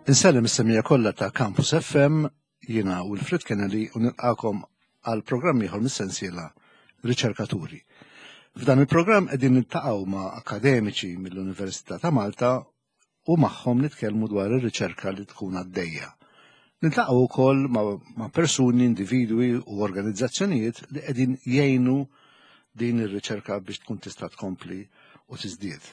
Insellem is-semija kollha ta' Campus FM, jiena Wilfred Kennedy u nilqakom għal programm ieħor mis-sensiela Riċerkaturi. F'dan il-programm qegħdin niltaqgħu ma' akademiċi mill-Università ta' Malta u magħhom nitkellmu dwar ir-riċerka li tkun għaddejja. Niltaqgħu wkoll ma', ma persuni, individwi u organizzazzjonijiet li qegħdin jgħinu din ir-riċerka biex tkun tista' tkompli u tiżdied.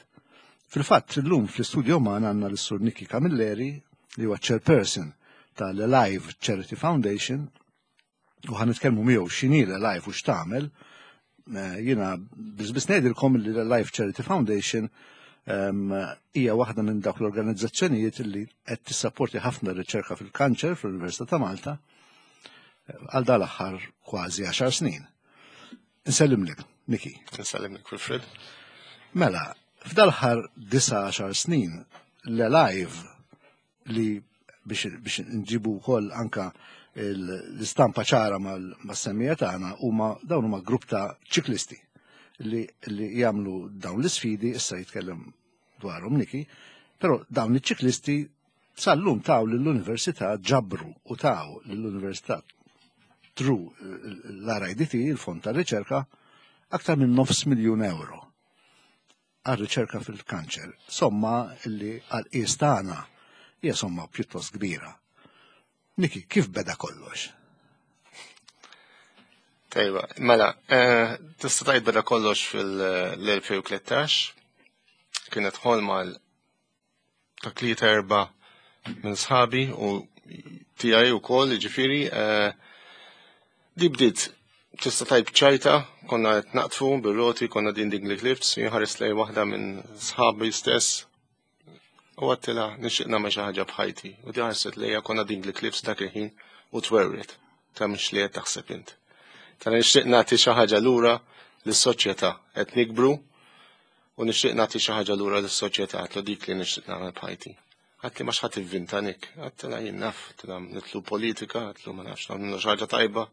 Fil-fatt, illum fl-istudio magħna għandna l-Sur Nikki Camilleri li huwa chairperson tal-Alive Charity Foundation u ħan nitkellmu miegħu x'inhi l-Alive u x'tagħmel. Eh, jiena biss biss ngħidilkom li l-Alive Charity Foundation ehm, hija waħda minn dawk l-organizzazzjonijiet li qed tissapporti ħafna riċerka fil-kanċer fl-Università ta' Malta eh, għal dal-aħħar kważi 10 snin. Nsellimlek, Niki. Nsellimlek, Wilfred. Mela, f'dal-aħħar 19 snin l-Alive li biex, biex nġibu wkoll anka l-istampa ċara mal-semmija tagħna huma dawn huma grupp ta' ċiklisti li, li jagħmlu dawn l-isfidi, issa jitkellem dwarhom Niki, però dawn iċ-ċiklisti sal-lum taw lill-università ġabru u taw lill-università tru l-RIDT, il-Fond ta' Riċerka, aktar minn nofs miljun euro għal riċerka fil-kanċer. Somma li għal qies tagħna hija somma pjuttost kbira. Niki, kif beda kollox? Tajba, mela, eh, tista' tgħid beda kollox fil-2013, kienet ħolma ta' tlieta erba' minn sħabi u tiegħi wkoll, jiġifieri eh, di bdiet tista' tajb ċajta, konna qed naqtfu bir-roti, konna din Dingley Cliffs, jinħares lej waħda minn sħabi stess u għattila nixtieq nagħmel xi ħaġa b'ħajti. U di ħarset lejja konna Dingley Cliffs dak il-ħin u twerwret ta' mhux li qed taħseb int. Ta' nixtieq nagħti xi ħaġa lura lis-soċjetà qed nikbru U nixtieq nagħti xi ħaġa lura lis-soċjetà, għedtlu dik li nixtieq nagħmel b'ħajti. Għedtli ma x'ħa tivvinta Nick? Għedtilha jien naf, għedtilha nitlu politika, għedtlu ma nafx nagħmlu xi ħaġa tajba.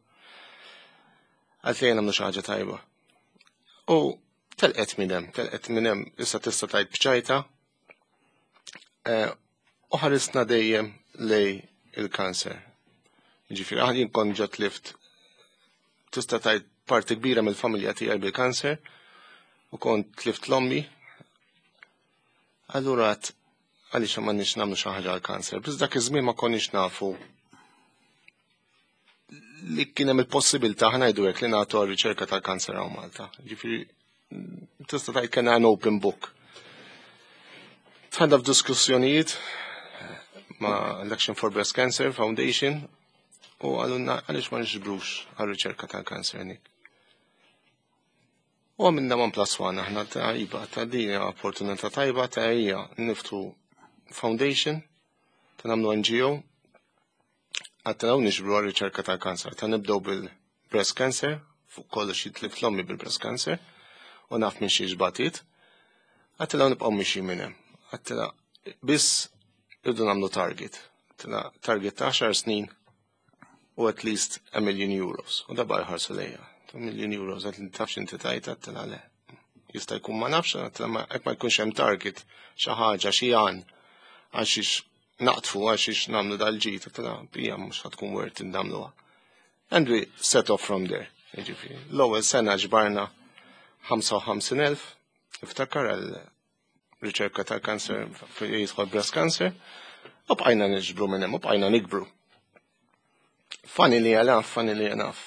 Għedtli jien nagħmlu xi ħaġa tajba. U telqet minn hemm, telqet minn hemm issa tista' tgħid b'ċajta. Eh, u ħarisna dejjem lej il-kanser. Ġifieri aħna jien kont ġo tlift tista' tgħid parti kbira mill-familja tiegħi bil-kanser u kont tlift l-ommi. Allura għat għaliex ma nix nagħmlu xi ħaġa għall-kanser. Biss dak iż-żmien ma konniex nafu li kien hemm il-possibilità ħa ngħidu hekk li nagħtu għar-riċerka tal-kanser hawn Malta. Ġifieri tista' tgħid kien an open book. Tħadda f'diskussjonijiet ma' l-Action for Breast Cancer Foundation u għalunna għaliex ma nixbrux għal-riċerka tal-kanser nik. U għamilna 1 plus 1 aħna ta' iba ta' din opportunità tajba ta' hija niftu foundation ta' nagħmlu NGO għattanaw nixbru għal-riċerka tal-kanser. Ta' nibdew bil-breast cancer, fuq kollox jitlift l-ommi bil-breast cancer, u naf minn xiex batit. Għattila nibqgħu mixi minn hemm. Għattila biss irdu nagħmlu target. Għattila target ta' 10 snin u at least a million euros. U da ħarsu lejja. Ta' million euros, għat li tafx inti tajt, għattila le. Jista' jkun ma nafx, għattila ma ma jkunx hemm target, xi ħaġa, xi għan, għal xiex naqtfu għal xiex nagħmlu dal-ġid, għattila hija mhux ħatkun worth nagħmluha. And we set off from there. Jiġifieri, l-ewwel sena ġbarna 55,000, iftakar għal riċerka tal-kanser jidħol breast cancer, u bqajna niġbru minn hemm, u bqajna nikbru. Funny li għalaf, funny li għalaf.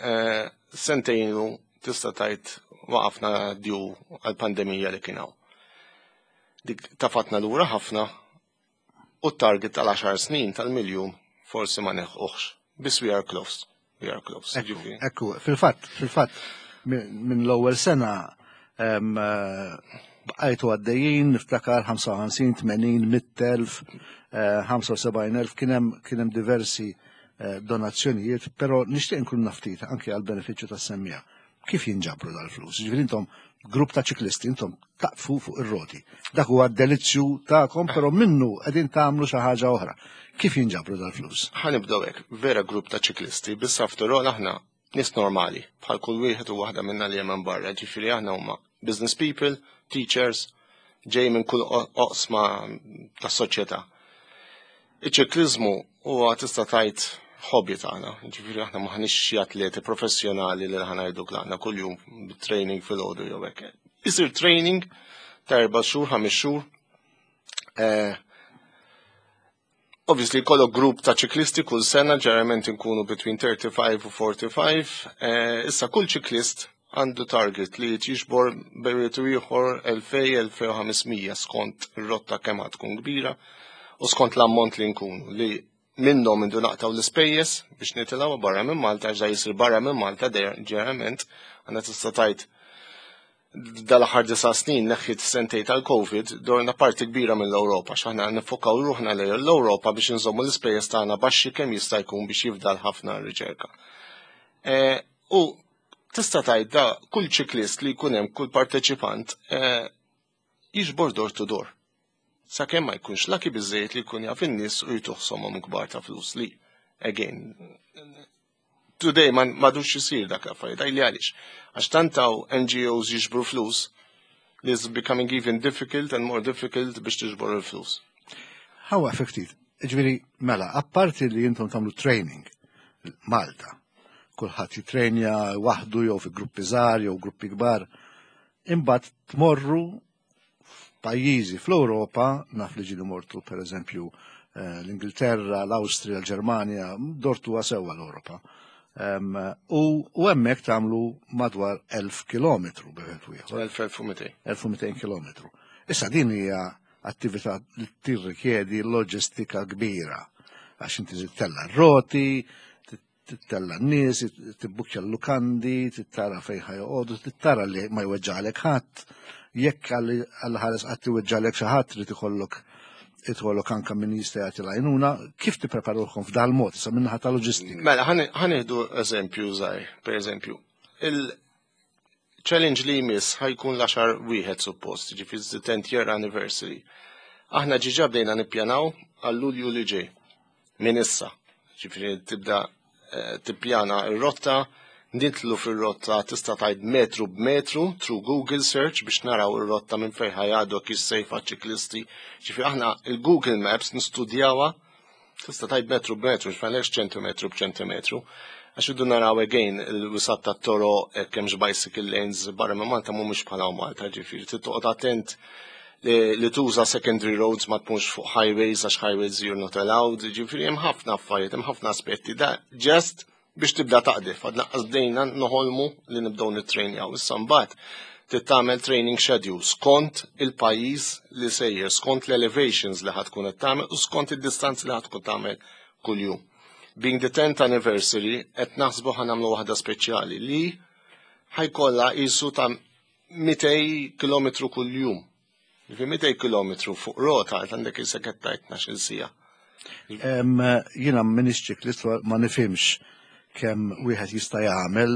Eh, sentejn ilu tista' tgħid waqafna due għal-pandemija li kien hawn. Dik tafatna lura ħafna u t-target tal-10 snin tal-miljun forsi ma nilħquhx. Biss we are close. We are close. Ekku, ekku, fil-fatt, fil-fatt, minn l-ewwel sena em, eh, bqajtu għaddejjin, niftakar 55, 80, 100,000, 75,000, kien hemm kien hemm diversi eh, donazzjonijiet, però nixtieq nkun naf ftit anke għal benefiċċju tas-semmija. Kif jinġabru dal-flus? Ġifieri intom grupp ta' ċiklisti, intom taqfu fuq ir-roti. Dak huwa d-delizzju tagħkom, però minnu qegħdin tagħmlu xi ħaġa oħra. Kif jinġabru dal-flus? Ħa nibdew hekk, vera grupp ta' ċiklisti, biss after all aħna nies normali, bħal kull wieħed u waħda minna li hemm barra, ġifieri aħna huma business people, teachers, ġej minn kull oqsma tas soċjetà. Iċ-ċikliżmu huwa tista' tgħid hobby tagħna. Ġifieri aħna m'aħniex xi atleti professjonali li ħa ngħidu aħna kuljum training filgħodu jew hekk. Isir training ta' 4 xhur, 5 xhur. Obviously, kollok grupp ta' ċiklisti kull sena, ġeneralment nkunu between 35 u 45. Issa kull ċiklist għandu target li jiġbor bejn ieħor 2000-2500 skont ir-rotta kemm tkun kbira u skont l-ammont li nkunu li minnhom indu naqtaw l-ispejjeż biex nitilgħu barra minn Malta, ġa jisir barra minn Malta ġeneralment għandna tista' tgħid dal-aħħar 9 snin neħħit sentej tal-Covid dorna parti kbira mill-Ewropa, x'aħna nifokaw ruħna lejn l-Ewropa biex nżommu l-ispejjeż tagħna baxxi kemm jista' jkun biex jifdal ħafna riċerka. U tista' tgħid da kull ċiklist li jkun hemm, kull parteċipant jiġbor door to door. Sakemm ma jkunx lucky biżejjed li jkun jaf in-nies u jtuh somom kbar ta' flus li, again, today ma m'għadux jisir dak l-affarijiet, għajli għaliex. Għax tant hawn NGOs jiġbru flus li is becoming even difficult and more difficult biex tiġbor il-flus. Ħa ftit. Ġifieri, mela, apparti li jintom tagħmlu training Malta, kulħadd jitrenja waħdu jew fi gruppi żgħar jew gruppi kbar, imbagħad tmorru f'pajjiżi fl-Ewropa, naf li ġieli mortu per eżempju l-Ingilterra, l-Awstrija, l-Ġermanja, dortu sewwa l-Ewropa. U hemmhekk tagħmlu madwar 1000 kilometru bejn ieħor. 1200. 1200 kilometru. Issa din hija attività li tirrikjedi loġistika kbira għax inti tella r-roti, tittella n-nies, tibbukja l-lukandi, tittara fejn ħa joqogħdu, tittara li ma jweġġalek ħadd. Jekk għal ħares qatt iweġġalek xi ħadd trid ikollok anka min jista' jagħti l-għajnuna, kif tippreparuhom f'dal mod sa minnaħa ta' loġistika? Mela, ħa nieħdu eżempju żgħir, per eżempju, il-challenge li jmiss ħa jkun l-10 wieħed suppost, ġifieri the 10th year anniversary. Aħna ġiġa bdejna nippjanaw għal Lulju li ġej minn issa. Ġifieri tibda tippjana r-rotta, nidħlu fir-rotta tista' tgħid metru b'metru through Google search biex naraw ir-rotta minn fejn ħa jgħaddu kif safe għaċ-ċiklisti. Ġifieri aħna il-Google Maps nistudjawha tista' tgħid metru b'metru, ġifieri ċentimetru b'ċentimetru. Għax iddu naraw again il-wisat ta' toro kemmx bicycle lanes barra minn Malta mhumiex bħala Malta, ġifieri trid toqgħod attent li tuża secondary roads, ma tkunx fuq highways għax highways you're not allowed, ġifieri hemm ħafna affarijiet, hemm ħafna aspetti da just biex tibda taqdef, għadna bdejna noħolmu li nibdew nittrainjaw. Issa mbagħad trid tagħmel training schedule skont il-pajjiż li sejjer, skont l-elevations li ħa tkun qed tagħmel u skont id-distanzi li ħa tkun tagħmel kuljum. Being the 10th anniversary, qed naħsbu ħa nagħmlu waħda speċjali li ħa jkollha qisu ta' 200 km kuljum. Ġifieri 200 km fuq rota għandek isek qed tgħid 12 siegħa. Jiena m'iniex ċiklist, ma nifhimx kemm wieħed jista' jagħmel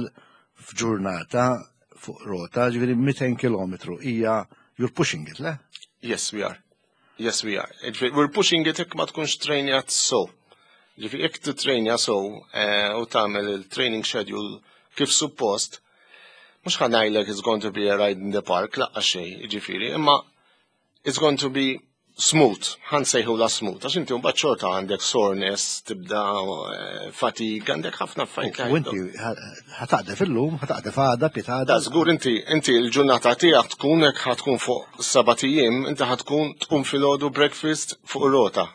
f'ġurnata fuq rota, ġifieri 200 km hija, you're pushing it, le? Yes, we are. Yes, we are. Ġifieri, we're pushing it jekk ma tkunx trainjat so. Ġifieri, jekk titrainja so u tagħmel il-training schedule kif suppost, mhux ħa ngħidlek it's going to be a ride in the park, laqqa xejn, ġifieri, imma it's going to be smooth, ħa nsejħulha smooth, għax inti mbagħad xorta għandek soreness, tibda fatigue, għandek ħafna affarijiet. U inti ħa taqdef illum, ħa taqdef għada, pitgħada. Da, żgur inti l-ġurnata tiegħek tkun hekk ħa tkun fuq 7 ijiem, inti ħa tkun tqum filgħodu, breakfast, fuq ir-rota.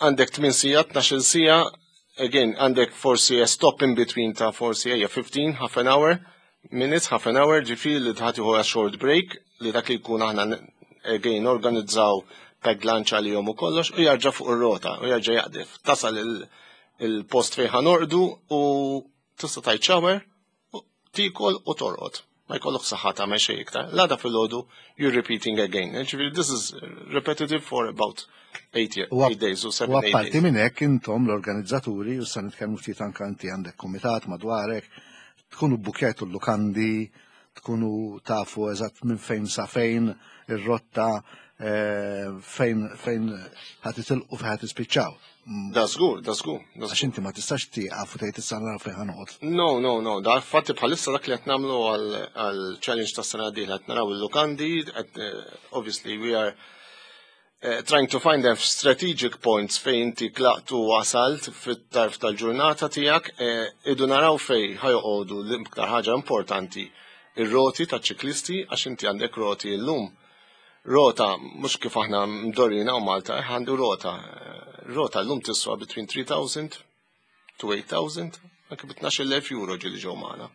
Għandek 8 sigħat, 12 siegħa, again, għandek forsi a stop in between ta' forsi ejja 15, half an hour, minutes, half an hour, ġifieri li tħati a short break, li dak li jkun aħna again organizzaw packed lunch għalihom u kollox, u jarġa' fuq ir-rota, u jarġa' jaqdef. Tasal il-post fejn ħa norqdu u tista' tgħid shower, u tikol u torqod. Ma jkollok saħħa tagħmel xejn iktar. L-għada filgħodu you're repeating again. Ġifieri this is repetitive for about 8 days or 7 U 8 apparti days. minn hekk intom l-organizzaturi, u sa nitkellmu ftit anka inti għandek kumitat madwarek, tkunu bbukjajtu l-lukandi, tkunu tafu eżatt minn fejn sa fejn ir-rotta, fejn ħa titilqu, fejn ħa tispiċċaw. Da żgur, da żgur, da Għax żgur. inti ma tistax tieqaf u tgħid issa naraw fejn ħa noqgħod. No, no, no, da fatti bħalissa dak li qed nagħmlu għal challenge ta' sena dieħla qed naraw il-lukandi, qed, obviously we are. Trying to find them strategic points fejn inti tlaqt u wasalt fit-tarf tal-ġurnata tiegħek, idu naraw fejn ħa joqogħdu, l-iktar ħaġa importanti, ir-roti ta' ċiklisti, għax inti għandek roti llum. Rota, mhux kif aħna mdorrijin hawn Malta, għandu rota. Rota llum tiswa between 3000 to 8000, anke bi 12,000 euro ġieli ġew magħna.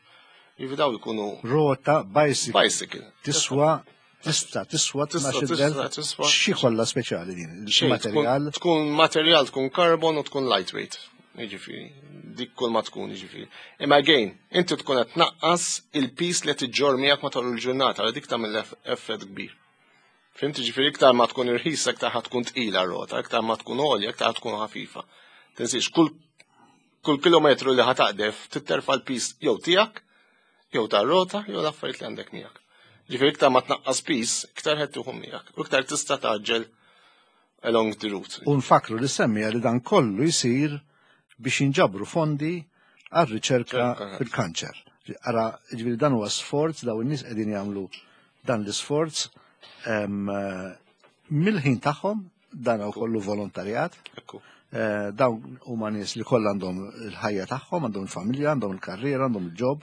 Jiġifieri daw jkunu Rota bicycle. Bicycle. Tiswa, tista' tiswa Tista' 12,000. Tiswa. Xi kollha speċjali din? Xejn, Materjal. Tkun materjal, tkun carbon u tkun lightweight. Jiġifieri, dik kull ma tkun, jiġifieri. Imma again, inti tkun qed tnaqqas il-piż li qed iġġorr miegħek matul il-ġurnata, għal dik tagħmel effett kbir. Fhimt, jiġifieri iktar ma tkun irħisa, iktar ħa tkun tqila r-rota, iktar ma tkun għolja, iktar tkun ħafifa. Tinsiex, kull kilometru li ħa taqdef titterfa l-piż jew tiegħek, jew tar-rota, jew l-affarijiet li għandek miegħek. Ġifieri iktar ma tnaqqas piż, iktar qed tieħu miegħek, u iktar tista' tgħaġġel along the route. U nfakru li semmija li dan kollu jsir biex jinġabru fondi għal-riċerka Riċerka. fil-kanċer. Ara, ġifieri dan huwa sforz, daw in-nies qegħdin jagħmlu dan l-isforz mill-ħin tagħhom, dan huwa kollu volontarjat. Dawn huma nies li kollha għandhom il-ħajja tagħhom, għandhom il-familja, għandhom il-karriera, għandhom il-job.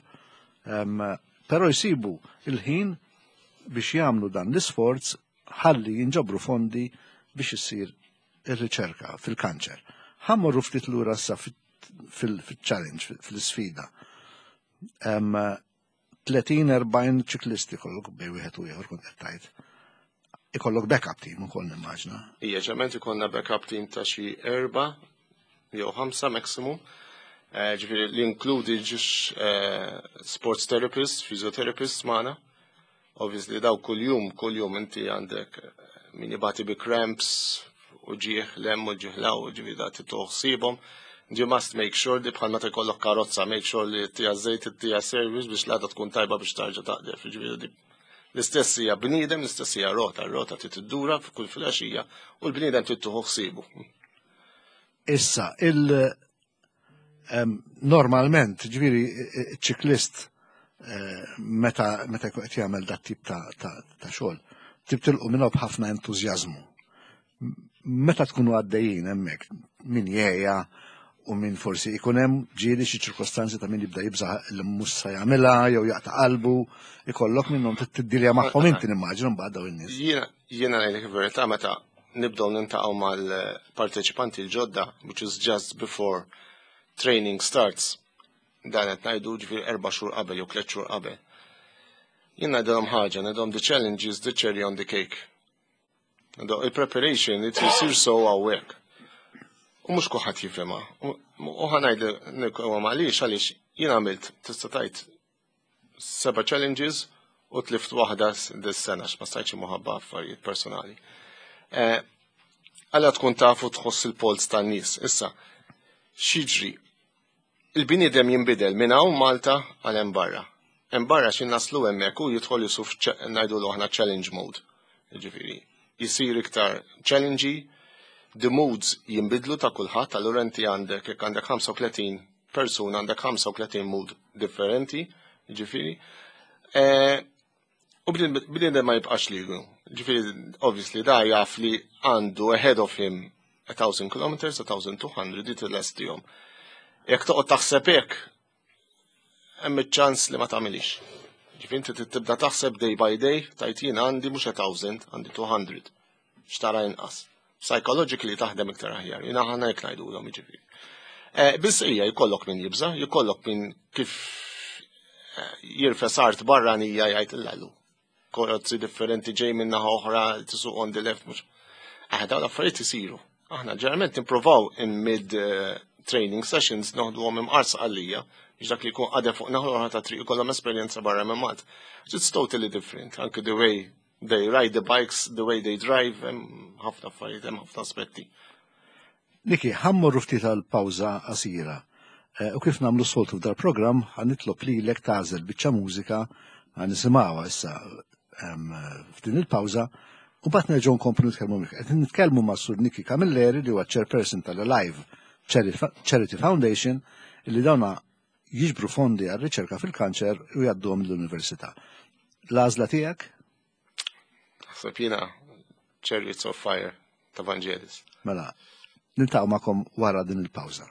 Però jsibu il-ħin biex jagħmlu dan l-isforz ħalli jinġabru fondi biex issir ir-riċerka fil-kanċer. Ħa mmorru ftit lura issa fil-challenge, fil-sfida. 30-40 ċiklisti kollok bej wieħed u ieħor kont qed tgħid. Ikollok backup team ukoll nimmaġna. Ija, ġament ikollna backup team ta' xi 4 jew 5 maximum. Ġifieri li inkludi ġiex sports therapist, physiotherapist magħna. Obviously daw kuljum, kuljum inti għandek min jibati bi cramps u ġieħ lem u ġieħ law, ġifieri da titoħsibhom. You must make sure li bħal meta jkollok karozza, make sure li tija żejt, tija service biex l-għada tkun tajba biex tarġa' taqdef. Ġifieri dik l-istess hija bniedem, l-istess hija rota, r-rota trid iddura f'kull filgħaxija u l-bniedem trid tieħu ħsiebu. Issa, normalment, ġifieri, ċiklist meta jkun qed jagħmel dat tip ta' xogħol, tibtilqu minnhom b'ħafna entużjażmu. Meta tkunu għaddejjin hemmhekk, min jgħejja u min forsi ikun hemm ġieli xi ċirkostanzi ta' min jibda jibża' li mhux se jagħmilha jew jaqta' qalbu, ikollok minnhom tiddilja magħhom inti nimmaġinu mbagħad dawn in-nies. Jiena ngħidlek il-verità, meta nibdew nintaqgħu mal-parteċipanti l-ġodda, which is just before training starts, dan qed ngħidu ġifieri 4 xhur qabel jew 3 xhur qabel. Jien ngħidilhom ħaġa, ngħidilhom the challenge is the cherry on the cake. Il-preparation it isir so hawnhekk. U mhux kulħadd jifhimha. U ħa ngħidlek huwa għaliex, għaliex jien għamilt tista' tgħid 7 challenges u tlift waħda dis-sena x'ma stajtx imħabba affarijiet personali. Għalla tkun tafu tħoss il-polz tan-nies. Issa, x'jiġri? Il-bniedem jinbidel minn hawn Malta għal hemm barra. Hemm barra xi naslu hemmhekk u jidħol jisuf ngħidu aħna challenge mode. Jiġifieri, jisir iktar challengey, the moods jinbidlu ta' kulħadd, allura inti għandek jekk għandek 35 persuna għandek 35 mood differenti, jiġifieri. U bniedem ma jibqax ligu. Ġifieri, obviously, da jaf li għandu ahead of him 1,000 kilometers, 1,200, dit l-estijom. Jekk toqgħod taħseb hekk, hemm iċ-ċans li ma tagħmilix. Ġifieri inti trid tibda taħseb day by day, tajt jien għandi mhux 1,000, għandi 200. Xtara inqas. Psychologically taħdem iktar aħjar. Jiena ħana hekk ngħidulhom jiġifieri. Biss hija jkollok min jibża, jkollok min kif jirfes art barranija jgħid illallu. Karozzi differenti ġej minn naħa oħra tisuq on the left mhux. Dawn l-affarijiet isiru. Aħna ġeneralment nippruvaw in mid training sessions noħduhom imqar Sqallija biex dak li jkun qadef fuq naħa oħra ta' triq ikollhom esperjenza barra minn Malta. It's totally different, anke the way they ride the bikes, the way they drive, hemm ħafna affarijiet, hemm ħafna aspetti. Niki, ħa mmorru ftit għal pawża qasira. U kif nagħmlu soltu f'dar programm, ħa nitlob lilek tagħżel biċċa mużika ħa nisimgħuha issa f'din il-pawża u mbagħad nerġgħu nkomplu nitkellmu miegħek. Qed nitkellmu ma' Sur Niki Camilleri li huwa chairperson tal-Alive Charity Foundation li dawna jiġbru fondi għal riċerka fil-kanċer u jgħadduhom l-università. L-għażla tiegħek? Naħseb jiena Chariots of Fire. Ta' Vangelis. Mela, niltaqgħu magħkom wara din il-pawża.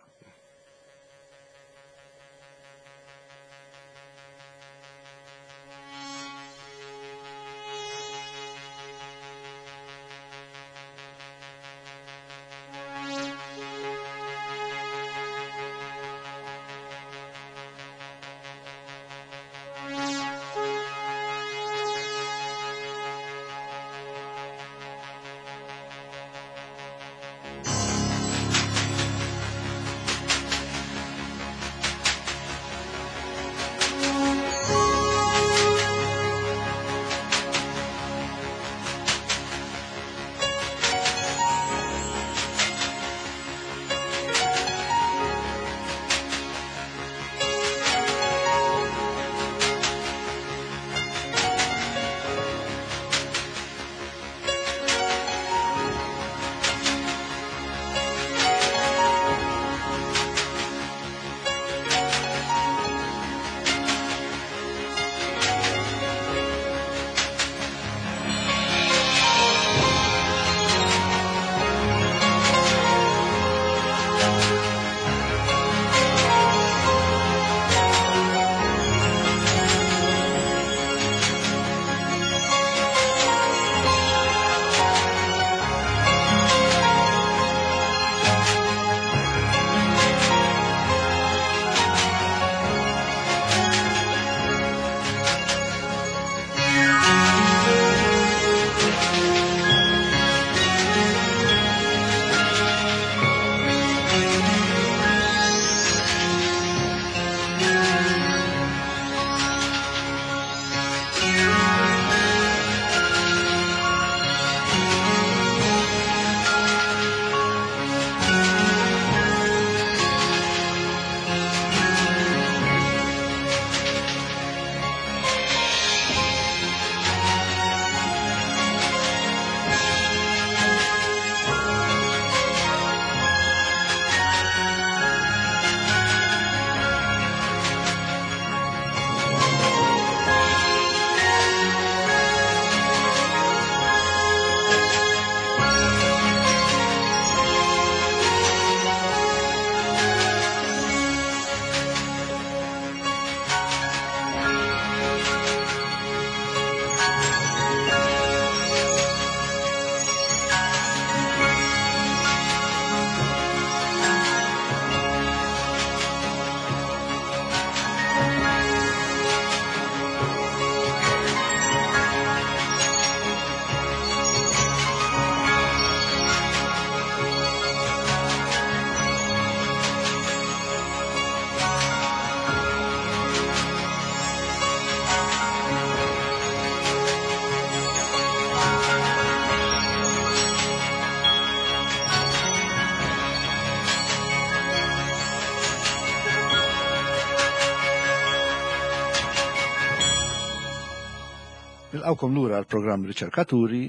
Nilqawkom lura għal programm Riċerkaturi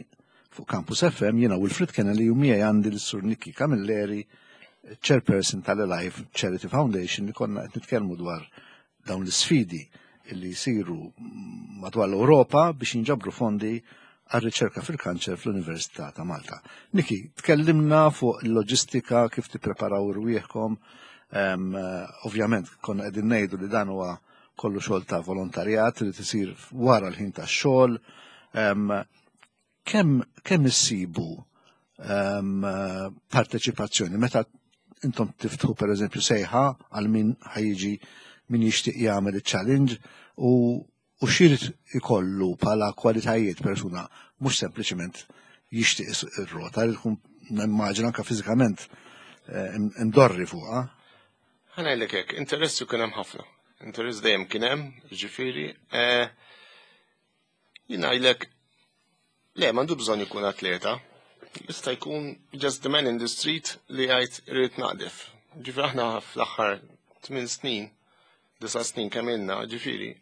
fuq Campus FM jiena Wilfred Kennedy u miegħi għandi l-Sur Nikki Camilleri, chairperson tal-Alive Charity Foundation li konna qed nitkellmu dwar dawn l-isfidi li jsiru madwar l-Ewropa biex jinġabru fondi għar-riċerka fil-kanċer fl-Università ta' Malta. Niki, tkellimna fuq il-loġistika, kif tippreparaw irwieħkom, ovvjament konna qegħdin ngħidu li dan huwa kollu xogħol ta' volontarjat li tisir wara l-ħin tax-xogħol. Kemm kemm issibu parteċipazzjoni meta intom tiftħu pereżempju sejħa għal min ħajġi min jixtieq jagħmel iċ-challenge u u x'irid ikollu bħala kwalitajiet persuna mhux sempliċement jixtieq ir-rota li tkun nimmaġina anke fiżikament eh, imdorri fuqha. Ħa ngħidlek hekk, interess kien hemm ħafna. Interess dejjem kien hemm, ġifieri. Eh, jien ngħidlek le m'għandu bżonn ikun atleta. Jista' jkun just the man in the street li jgħid irid naqdef. Ġifieri aħna fl-aħħar 8 snin, 9 snin kemm ilna, ġifieri,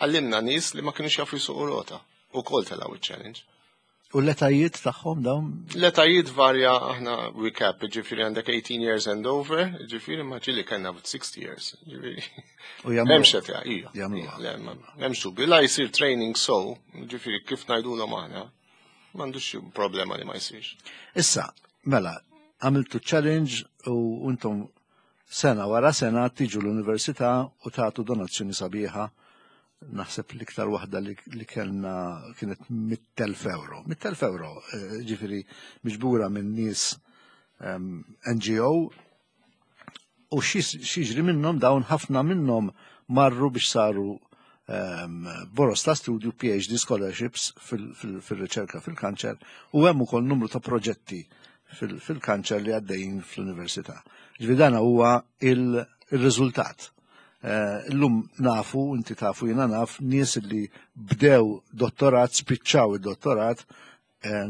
għallimna nies li ma kienux jafu jsuqu rota u kol telgħu iċ-challenge. U l-etajiet tagħhom dawn? L-etajiet varja aħna we cap, ġifieri għandek 18 years and over, ġifieri ma ġieli kellna 60 years, ġifieri. U jagħmlu. M'hemmx età, ija. Jagħmluha. M'hemmx dubju, la jsir training so, ġifieri kif ngħidulhom aħna, m'għandux problema li ma jsirx. Issa, Mela, għamiltu challenge u intom sena wara sena tiġu l-università u tagħtu donazzjoni sabiħa. Naħseb l-iktar waħda li kellna kienet 100,000 euro. 100,000 euro, ġifieri miġbura minn nies NGO u x'jiġri minnhom dawn ħafna minnhom marru biex saru boros ta' studju, PhD scholarships fil-riċerka fil-kanċer u hemm ukoll numru ta' proġetti fil-kanċer li għaddejjin fl-università. Ġifieri dan huwa il-riżultat. Illum nafu, inti tafu, jiena naf, nies li bdew dottorat, spiċċaw id-dottorat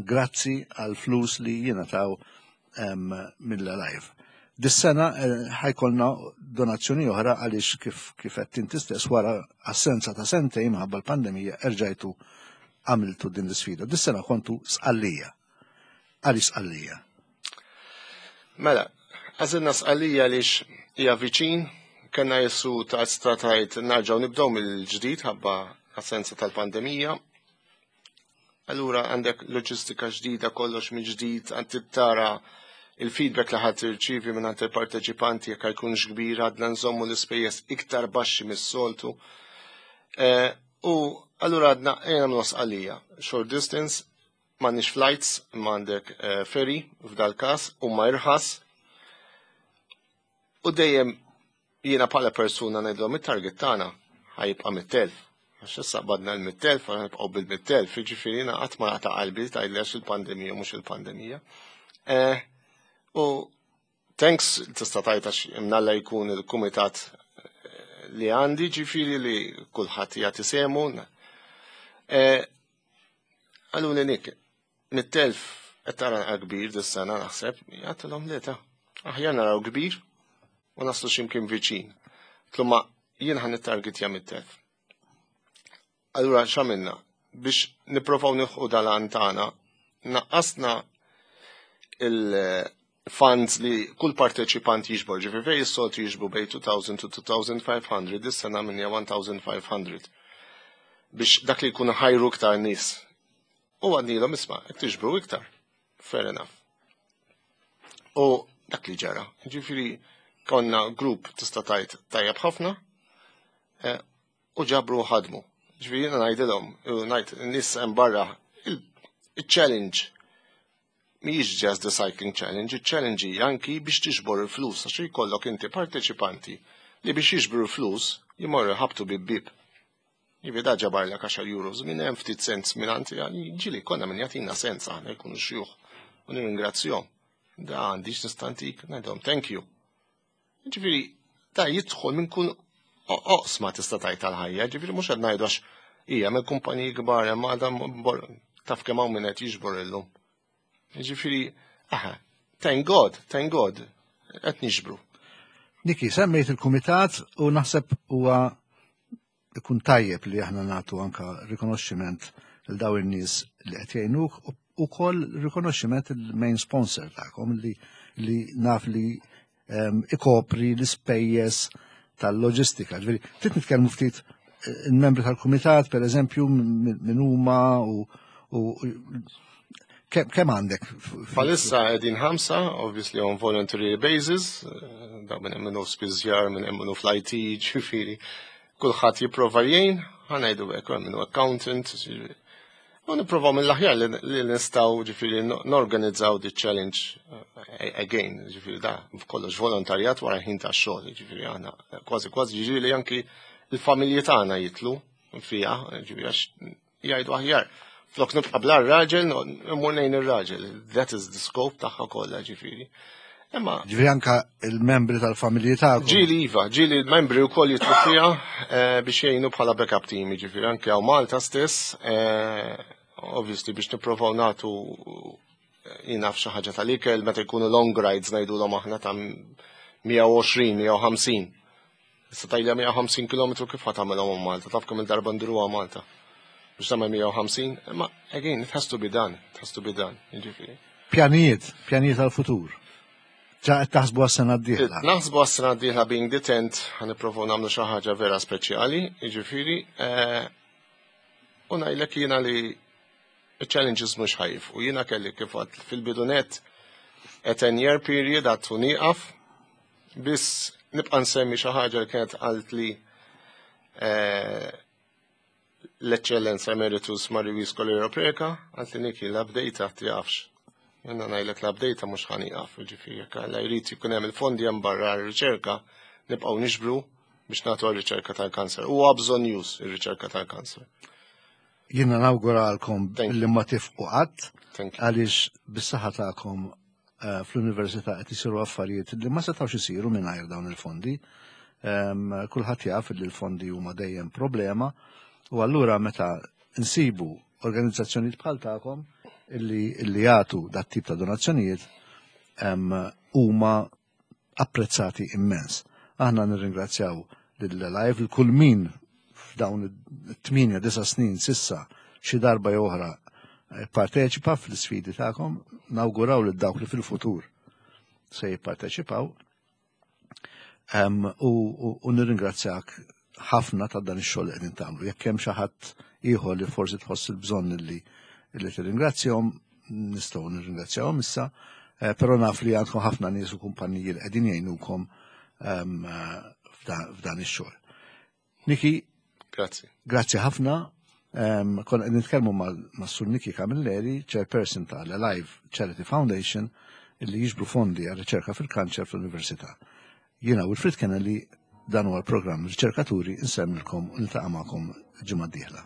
grazzi għal flus li jingħataw mill-Alive. Dis-sena ħa jkollna donazzjoni oħra għaliex kif qed inti stess wara assenza ta' sentejn minħabba l-pandemija erġajtu għamiltu din l-isfida. Dis-sena kontu Sqallija. Għaliex Sqallija? Mela, għażilna Sqallija għaliex hija viċin, kellna jessu ta' stratajt nerġgħu nibdew mill-ġdid ħabba assenza tal-pandemija. Allura għandek loġistika ġdida, kollox mill-ġdid, għand tara il-feedback li ħadd irċivi minn għand il-parteċipanti jekk jkunx kbir, għadna nżommu l-ispejjeż iktar baxxi mis-soltu. U allura għadna ejja nagħmlu Sqallija, short distance, m'għandniex flights, imma għandek ferry f'dal każ u ma irħas. U dejjem jiena bħala persuna ngħidlhom it-target tagħna ħa jibqa' 100,000. Għax issa qbadna l-100,000, għana nibqgħu bil-100,000, jiġifieri jiena qatt ma naqta' qalbi tgħidli għax il-pandemija mhux il-pandemija. U thanks tista' tgħid għax imnalla jkun il-kumitat li għandi, ġifieri li kulħadd jagħti sehmu. Għalu li nik, 100,000 qed tara kbir dis-sena naħseb, għedtilhom le ta' aħjar naraw kbir u naslu x'imkien viċin. Tlumma jien ħa nittargetja 100,000. Allura x'għamilna? Biex nipprovaw nilħqu dal-għan tagħna, naqqasna il-funds li kull parteċipant jiġbor, ġifieri fej is-soltu jiġbru bej 2000 to 2500, dis-sena minja 1500. Biex dak li jkunu ħajru iktar nies. U għednielhom isma', jekk tiġbru iktar. Fair enough. U dak li ġara. Ġifieri konna grupp tista' tgħid tajjeb ħafna u ġabru ħadmu. Ġifieri jiena ngħidilhom, u ngħid nies hemm barra, il-challenge mhijiex just the cycling challenge, il-challenge hija anki biex tiġbor il-flus, għax jkollok inti parteċipanti li biex jiġbru l-flus jmorru ħabtu bib. Jivi da ġabarlek 10 euros minn hemm ftit sens minn għandi, ġili konna minn jagħtina sens aħna jkunu xjuħ u nirringrazzjahom. Da għandix nistantik, ngħidhom thank you. Ġifieri da jidħol minn kull oqsma tista' tgħid tal-ħajja, ġifieri mhux qed ngħidu għax hija minn kumpaniji kbar hemm għadha taf kemm hawn min qed jiġbor illum. Ġifieri, aha, thank God, thank God, qed niġbru. Niki, semmejt il-kumitat u naħseb huwa ikun tajjeb li aħna nagħtu anka rikonoxximent lil daw in-nies li qed jgħinuk u ukoll rikonoxximent il-main sponsor tagħkom li naf li ikopri l-ispejjeż tal-loġistika. Ġifieri, ftit nitkellmu ftit il-membri tal-kumitat, per eżempju, min huma u kemm għandek? Bħalissa qegħdin ħamsa, obviously on voluntary basis, da minn minnu spiżjar, minn minnu fl-IT, ġifieri, kulħadd jipprova jgħin, ħa ngħidu hekk, hemm minnu accountant, ġifieri. U nipprovaw mill-aħjar li nistgħu ġifieri norganizzaw di challenge again, ġifieri da kollox volontarjat wara ħin ta' xogħol, ġifieri aħna kważi kważi ġifieri anki il-familji tagħna jitlu fiha, ġifieri għax jgħidu aħjar. Flok nibqa' bla raġel, immur lejn ir-raġel. That is the scope tagħha kollha ġifieri. Imma Ġifieri anka il-membri tal-familji tagħkom. Ġieli iva, ġieli l-membri wkoll jitlu fiha biex jgħinu bħala backup team, ġifieri anke hawn Malta stess, obviously biex nipprovaw nagħtu jien naf xi ħaġa tal-ikel meta jkunu long rides ngħidulhom aħna ta' 120, 150. Issa tajla 150 km kif ħa tagħmelhom Malta, taf kemm il-darba nduruha Malta. Biex tagħmel 150, imma again, it has to be done, it has to be done, jiġifieri. Pjanijiet, pjanijiet għal-futur. Ġa qed taħsbu għas-sena d-dieħla. Naħsbu għas-sena d-dieħla being the 10th, ħa nipprovaw nagħmlu xi ħaġa vera speċjali, jiġifieri, u ngħidlek jiena li il-challenges mhux ħajf u jiena kelli kif għad fil-bidunet. A 10 year period għattu nieqaf, biss nibqa' nsemmi xi ħaġa li kienet qalt li eh, l-Eċċellenza Emeritus Marie Scolero Preca, għalt li Niki l-update tiqafx. Jenna ngħidlek l-update mhux ħa nieqaf, ġifieri jekk Alla jrid jkun hemm il-fondi hemm barra r-riċerka, nibqgħu niġbru biex nagħtu għar-riċerka tal-kanser. Huwa bżonn-już ir-riċerka tal-kanser. Jiena nawguralkom li ma tifqu qatt għaliex bis-saħħa tagħkom eh, fl-università qed isiru affarijiet li ma setgħux isiru mingħajr dawn il-fondi. Ehm, kulħadd jaf li l-fondi huma dejjem problema u allura meta nsibu organizzazzjonijiet bħal tagħkom illi, illi jagħtu dat tip ta' donazzjonijiet ehm, huma apprezzati immens. Aħna nirringrazzjaw lil-Live, lil kull min f'dawn it-8 disa snin sissa xi darba jew oħra eh, parteċipa fl-isfidi tagħkom, nawguraw lil dawk li fil-futur se jipparteċipaw. U, u, u nirringrazzjak ħafna ta' dan ix-xogħol li qegħdin tagħmlu. Jekk hemm xi ħadd ieħor li forsi tħoss il-bżonn li li tirringrazzjahom, nistgħu nirringrazzjahom issa, eh, però naf li għandkom ħafna nies u kumpanniji li qegħdin jgħinukom ehm, eh, f'dan ix-xogħol. Niki, Grazzi. Grazzi ħafna. Um, Konna qed nitkellmu ma' Sur Niki Camilleri, chairperson tal-Alive Charity Foundation, illi jiġbru fondi għal riċerka fil-kanċer fl-Università. Jiena Wilfred Kennelly, dan huwa l-programm Riċerkaturi, insellmilkom u niltaqa' magħkom ġimgħa d-dieħla.